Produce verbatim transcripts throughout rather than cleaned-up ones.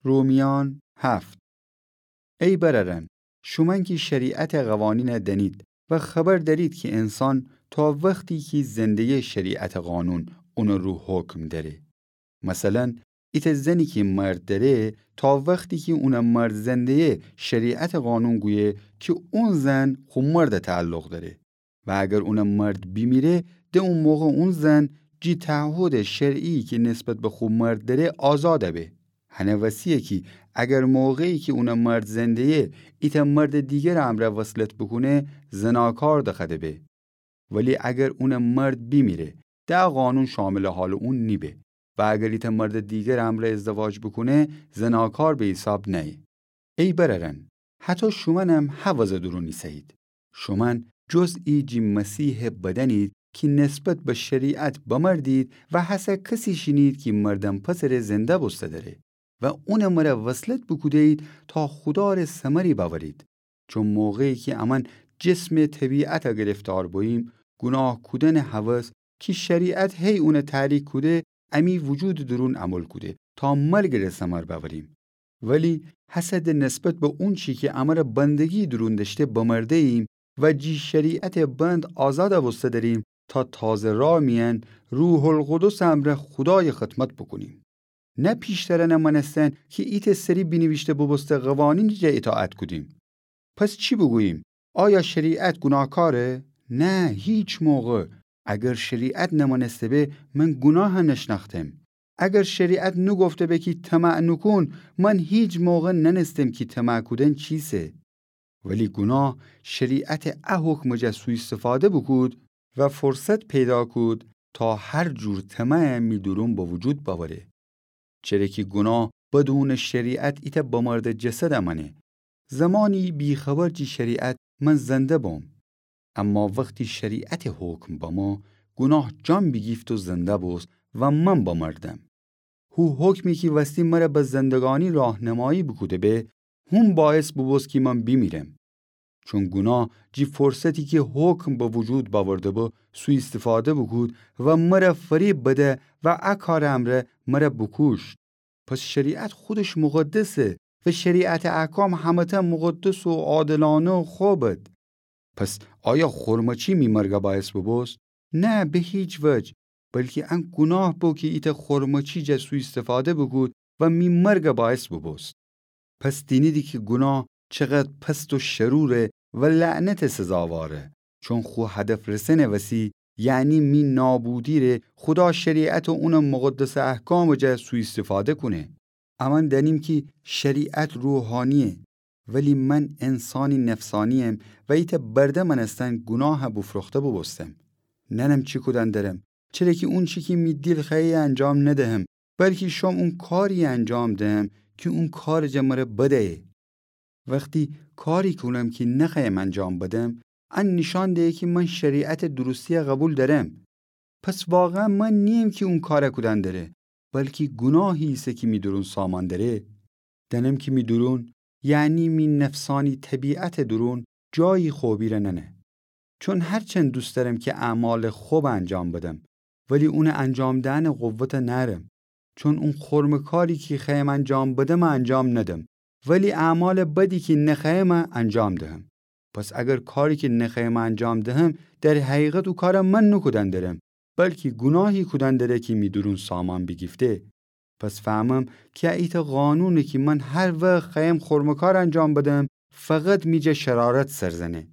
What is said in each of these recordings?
رومیان هفت. ای برأرأن، شومأن کی شریعتٚ قوانینَ دأنید و خبر دأرید کی انسان تا وختی کی زنده‌یه شریعتٚ قانون اونٚ رو حکم دأره. مثلا، ایتأ زنی کی مرد دأره، تا وختی کی اونٚ مرد زنده‌یه شریعتٚ قانون گویه کی اون زن خو مردَ تعلق دأره. و اگر اونٚ مرد بیمیره، ده او موقع اون زن جی تعهدٚ شرعی کی نسبت به خو مرد دأره آزادَ به. هنه وسی‌یه کی اگر موقعی کی اونٚ مرد زنده‌یه ایتأ مردٚ دیگرٚ امرأ وصلت بوکونه، زناکار دخوأده به. ولی اگر اونٚ مرد بیمیره، ده ا قانون شاملٚ حالٚ اون نیبه. و اگر ایتأ مردٚ دیگرٚ امرأ ازدواج بوکونه، زناکار به حیساب نأیه. ای برأرأن، هطو شومأنم ه وضعٚ دورون ایسه‌یید. شومأن جزئی جی مسیحٚ بدنید کی نسبت به شریعت بمردید و هسه کسی شینید کی مردن پسرٚ زنده بوسته دأره و اونٚ مره وصلت بوکوده‌یید تا خودارٚ ثمری بأورید. چون موقعی کی امأن جسمٚ طبیعتَ گرفتار بوییم، گوناه کودنٚ هوس کی شریعت هی اونَ تحریک کوده، امی وجودٚ دورون عمل کوده تا مرگٚ ره ثمر بأوریم. ولی هسه ده نسبت به اونچی کی امره بندگی دورون دأشته بمرده‌ییم و جی شریعتٚ بند آزادَ بوسته دأریم تا تازه راه میأن روح‌القدسٚ امرأ خودایٚ خدمت بوکونیم. نه پیشترأنَ مأنستن کی ایتأ سری بینیویشته بوبوسته قوانینٚ جا اطاعت کودیم. پس چی بوگوییم؟ آیا شریعت گوناهکاره؟ نه، هیچ موقع. اگر شریعت نمأنسته به، من گوناهَ نشنأختم. اگر شریعت نوگفته به کی طمع نوکون، من هیچ موقع نأنستم کی طمع کودن چیسه. ولی گوناه شریعتٚ ا حکمٚ جا سوءاستفاده بوکود و فرصت پیدا کود تا هر جور طمع می دورون به وجود بأوره. چره کی گوناه بدونٚ شریعت ایتأ بمرده جسدَ مأنه. زمانی بی‌خبر جی شریعت من زنده بوم. اما وختی شریعتٚ حکم بمو، گوناه جان بیگیفت و زنده بوست و من بمردم. هو حکمی کی وستی مره به زندگانی راهنمایی بوکوده به، هون باعث بوبوست کی من بیمیرم. چون گوناه جی فرصتی کی حکم به وجود بأورده به، سوءاستفاده بوکود و مره فریب بده و ا کارٚ امرأ مره بوکوشت. پس شریعت خودش مقدسه و شریعتٚ احکام همه‌تأ مقدس و عادلانه و خوبد. پس آیا خرمچی می مرگَ باعث بوبوست؟ نه، به هیچ وجه، بلکی ان گوناه بو کی ایتأ خرمچی جا سوءاستفاده بوکود و می مرگَ باعث بوبوست. پس دینیدی کی گوناه چقدر پست و شروره و لعنتٚ سزاواره، چون خو هدف رسنٚ وسی، یعنی می نابودی ره، خودا شریعت و اونٚ مقدسٚ احکامٚ جا سوءاستفاده کونه. امأن دأنیم کی شریعت روحانیه، ولی من انسانی نفسانی‌یم و ایتأ برده مأنستن گوناهَ بوفروخته بوبوستم. نأنم چی کودن درم، چره کی اونچی کی می دیل خوأیه انجام ندهم، بلکی شوم اون کاریی انجام دهم کی اون کارٚ جا مره بد ایه. وختی کاری کونم کی نخوأیم انجام بدم، ان نیشان دهه کی من شریعتٚ درستی‌یَ قبول دأرم. پس واقعاً من نییم کی اون کارَ کودن دره، بلکی گوناهی ایسه کی می دورون سامان دره. دأنم کی می دورون، یعنی می نفسانی طبیعتٚ دورون، جایی خوبی ره نأنه. چون هرچند دوست دأرم کی اعمالٚ خوبَ انجام بدم، ولی اونٚ انجام دئنٚ قوتَ نأرم. چون اون خرمٚ کاری کی خوأیم انجام بدمَ انجام ندم، ولی اعمالٚ بدی کی نخوأیمَ انجام دهم. پس اگر کاری کی نخوأیمَ انجام دهم، در حقیقت او کارَ من نوکودن درم، بلکی گوناهی کودن دره کی می دورون سامان بیگیفته. پس فهمم کی ایتأ قانونه کی من هر وخت خوأیم خرمٚ کار انجام بدم، فقط می جا شرارت سر زنه.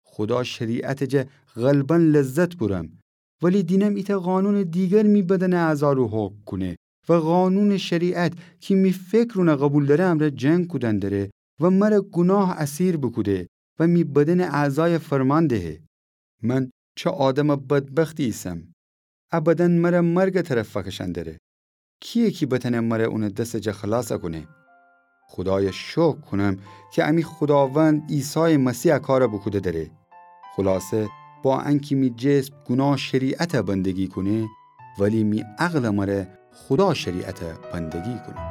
خودا شریعتٚ جا غلباً لذت بورم، ولی دینم ایتأ قانونٚ دیگر می بدنٚ اعضا رو حکم کونه و قانونٚ شریعت کی می فکر اونَ قبول دأره امرأ جنگ کودن دره و مره گوناه اسیر بوکوده و می بدنٚ اعضایَ فرمان دهه. من چه آدمٚ بدبختی ایسم! ا بدن مره مرگٚ طرف فکشأن دره. کییه کی بتأنه مره اونٚ دسٚ جا خلاصَ کونه؟ خودایَ شکر کونم کی امی خوداوند عیسایٚ مسیح ا کارَ بوکوده دره. خلاصه، با انکی می جسم گوناه شریعتَ بندگی کونه، ولی می عقلٚ مره خودا شریعتَ بندگی کونه.